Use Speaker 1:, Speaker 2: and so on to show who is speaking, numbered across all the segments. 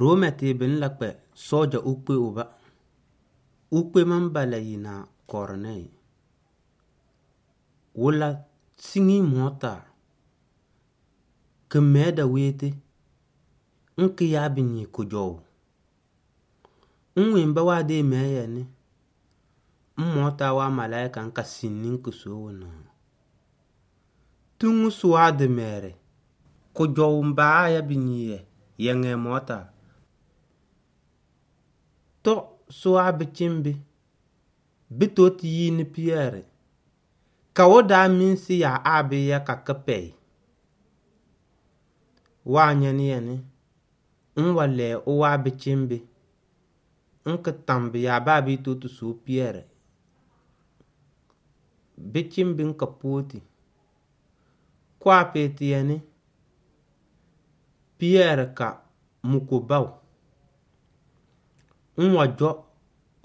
Speaker 1: Rome te bin la kpɛ sɔɔja ukpe uba. Ukpe ma mba la yi na Kɔrnɛy. Wʋla siŋi mɔɔta kɩ mɛɛ da weete ŋkɩ yaa bɩ nyi kʋdzɔʋ. Ŋwɩ-ŋba waa dee mɛɛ yɛ nɩ, ŋmɔɔta waa malaɩka ŋka sinni ŋkɩ soo wʋ na tuŋu sʋwaa dɩ mɛɛrɩ kʋdzɔʋ mba aa ya bɩ nyiiyɛ yɛŋɛɛ mɔɔta. Tɔ sʋwaa bɩcɩŋbɩ, bɩ tooti yii nɩ Pɩyɛɛrɩ ka wʋ daa mɩ-ŋsɩ yaa aa bɩ ya ka kɩpɛyɩ. Waa ñɛnɩ yɛ nɩ, ŋwa lɛɛ ʋwaa bɩcɩŋbɩ ŋkɩ tam bɩ yaa baa bɩɩ tooti soo Pɩyɛɛrɩ. Bɩcɩŋbɩ ŋka pooti. Kʋwaa pɩɩtɩ yɛ nɩ, Pɩyɛɛrɩ ka mʋ kobaʋ. Ŋwa dzɔ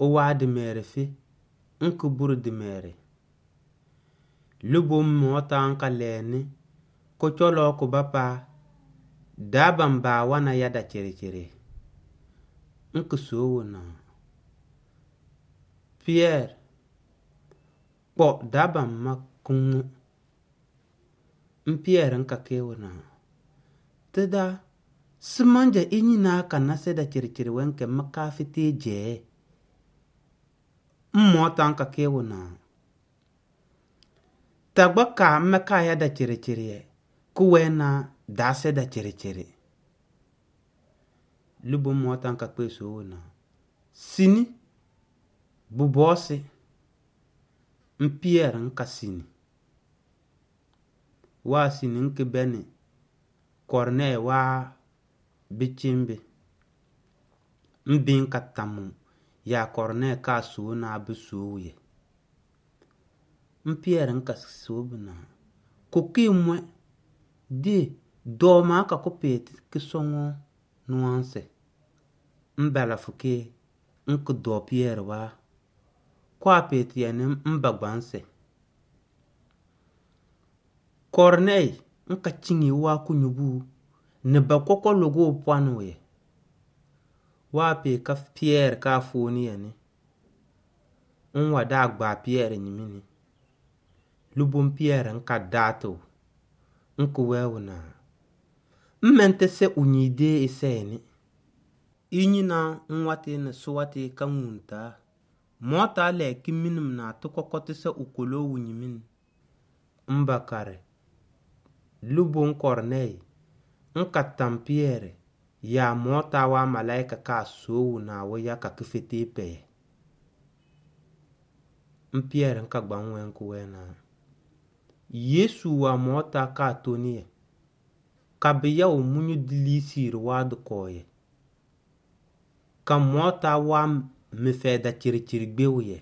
Speaker 1: ʋwaa dɩ mɛɛrɩ fe ŋkɩ bure dɩ mɛɛrɩ. Lʋbom mɔɔta ŋka lɛɛ nɩ kʋcɔlɔɔ kʋba paa daabam baa wana ya da cɩrɩcɩrɩ. Ŋkɩ soo wʋ na Pɩyɛɛrɩ kpɔ daabam ma kɩ ŋʋ. Ŋ Pɩyɛɛrɩ ŋka kɩ wʋ na tɩdaa sɩ manja ɩ ñinaa ka na sɛ da cɩrɩcɩrɩ wɛ ŋkɛ mɩ kaa fetee jɛɛ. Ŋmɔɔta ŋka kɩ wʋ na tagba kaa ŋmɛ kaa ya da cɩrɩcɩrɩ yɛ kʋwɛɛ naa daa sɛ da cɩrɩcɩrɩ. Lʋbom mɔɔta ŋka kpe soo wʋ na sini bʋ bɔɔsɩ. Ŋ Pɩyɛɛrɩ ŋka sini. Waa sini ŋkɩ bɛnɩ Kɔrnɛɩ waa bɩcɩŋbɩ. Ŋbɩ ŋka tamʋ yaa Kɔrnɛɩ kaa soo naa bɩ soo wʋ yɛ. Ŋ Pɩyɛɛrɩ ŋka soo bɩ na kʋkɩ mʋɛ dee dɔɔmaa ka kʋ pɩɩtɩ kɩ sɔŋɔɔ nʋwaŋsɛ. Ŋba la fʋkɩ ŋkɩ dɔɔ Pɩyɛɛrɩ waa. Kʋwaa pɩɩtɩ yɛ nɩ ŋba gbaŋsɛ. Kɔrnɛɩ ŋka ciŋi ʋwaa kʋnyubuu nɩ ba kɔkɔ lʋgʋʋ pwanɩ yɛ. Waa pɩɩ ka Pɩyɛɛrɩ kaa fooni yɛ nɩ, ŋwa daa gbaa Pɩyɛɛrɩ gnɩmɩnɩ. Lʋbom Pɩyɛɛrɩ ŋka daatɩ ŋkɩ wɛ wʋ na ŋmɛntɛsɛ ʋ nyii dee ɩsɛɛ nɩ. Ɩ ñinaa ŋwatɩ nɩ sʋwatɩ ka ŋuŋtaa. Mɔɔta lɛɛ kɩ minim naa tɩ kɔkɔ tɩsɛ ʋ koloo wʋ gnɩmɩnɩ. Ŋba karɩ lʋbom Kɔrnɛɩ ŋka tam Pɩyɛɛrɩ yaa mɔɔta waa malaɩka kaa soo wʋ na wʋ ya ka kɩfetee pɛyɛ. Ŋ Pɩyɛɛrɩ ŋka gbaŋ wɛ ŋkɩ wɛɛ na Yesu waa mɔɔta kaa tonɩ yɛ ka bɩ yaʋ mʋ ñʋ dɩ liisiiri waa dɩ kɔɔ yɛ. Ka mɔɔta waa mɩfɛɛ da cɩrɩcɩrɩ gbewʋ yɛ.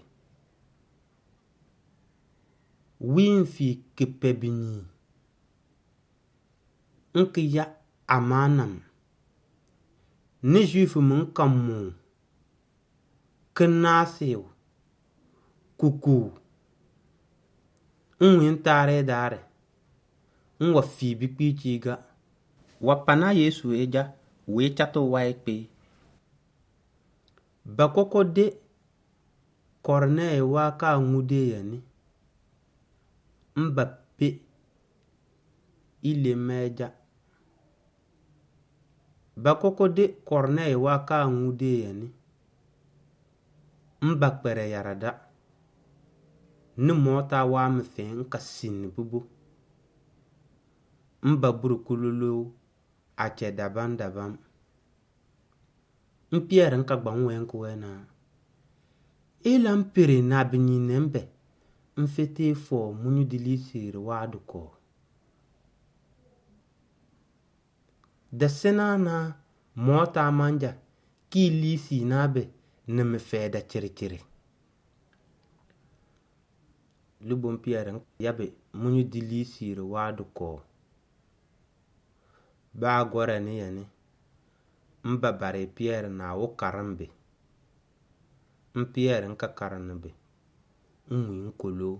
Speaker 1: Wɩ ŋfɩɩ kɩpɛ bɩ nyii ŋkɩ ya amaanam nɩ Zuifʋ ŋka mʋʋ kɩ naasɩʋ kukuʋ ŋwɩ ŋtaarɩɩ daarɩ ŋwa fii bɩ kpiici ga. Wa pana Yesu ɩdza wɩɩ chatʋ wayɩ kpɩ. Ba kɔkɔ de Kɔrnɛɩ waa kaa ŋʋ dee yɛ nɩ, ŋba pe ɩ lem ɩdza. Ba kɔkɔ de Kɔrnɛɩ waa kaa ŋʋ dee yɛ nɩ, ŋba kpɛrɛ yarada nɩ mɔɔta waa mɩfɛɛ ŋka sinni bʋbo. Ŋba bure kʋloloo acɛ dabam-dabam. Ŋ Pɩyɛɛrɩ ŋka gbaŋ wɛ ŋkɩ wɛɛ na ɩla ŋpere na bɩ nyiinɛ ŋbɛ ŋfetee fɔɔ mʋ ñʋ dɩ liisiiri waa dɩ kɔɔ. Da sɩnaa naa mɔɔtaa manja kɩɩ liisii naa bɛ nɩ mɩfɛɛ da cɩrɩcɩrɩ. Lʋbom Pɩyɛɛrɩ yabɩ mʋ ñʋ dɩ liisiiri waa dɩ kɔɔ. Baa gɔrɛ nɩ yɛ nɩ, ŋba barɩ Pɩyɛɛrɩ na wʋ karɩŋ bɩ. Ŋ Pɩyɛɛrɩ ŋka karɩnɩ bɩ, ŋwɩ ŋkoloo.